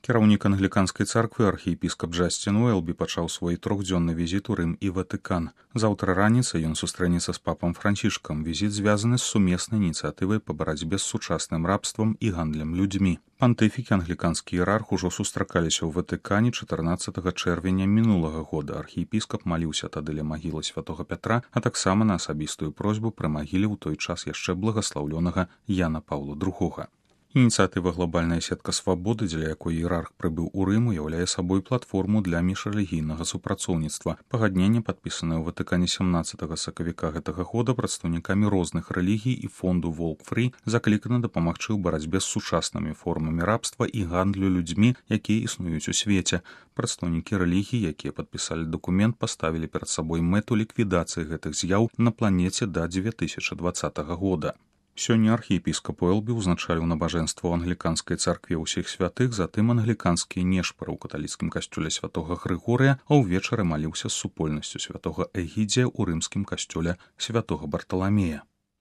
Кіраўнік англіканскай царквы архіепіскап Джасцін Уэлбі пачаў свой трохдзённы візіт у Рым і Ватыкан. Заўтра раніцай ён сустрэнецца з папам Францішкам. Візіт звязаны з сумеснай ініцыятывай па барацьбе з сучасным рабствам і гандлем людзьмі. Пантыфік і англіканскі іерарх ужо сустракаліся ў Ватыкане 14 чэрвеня мінулага года. Архіепіскап маліўся тады ля магілы святога Пятра, а таксама на асабістую просьбу пры магіле ў той час яшчэ благаслаўлёнага Яна Паўла II. Ініцыятыва «Глобальная сетка свабоды», дзеля якой іерарх прыбыў у Рым, уяўляе сабой платформу для міжрэлігійнага супрацоўніцтва. Пагадненне, падпісанае ў Ватыкане 17 сакавіка гэтага года прадстаўнікамі розных рэлігій і фонду Walk Free, заклікана дапамагчы ў барацьбе з сучаснымі формамі рабства і гандлю людзьмі, якія існуюць у свеце. Прадстаўнікі рэлігій, якія падпісалі дакумент, паставілі перад сабой мэту ліквідацыі гэтых з'яў на планеце да 2020 года. Сёння архіепіскап Уэлбі ўзначаліў набажэнства ў англіканскай царкве ўсіх святых, затым англіканскія нешпары ў каталіцкім касцёле святога Грыгорыя, а ўвечары маліўся з супольнасцю святога Эгідзія ў рымскім касцёле святога Барталамея.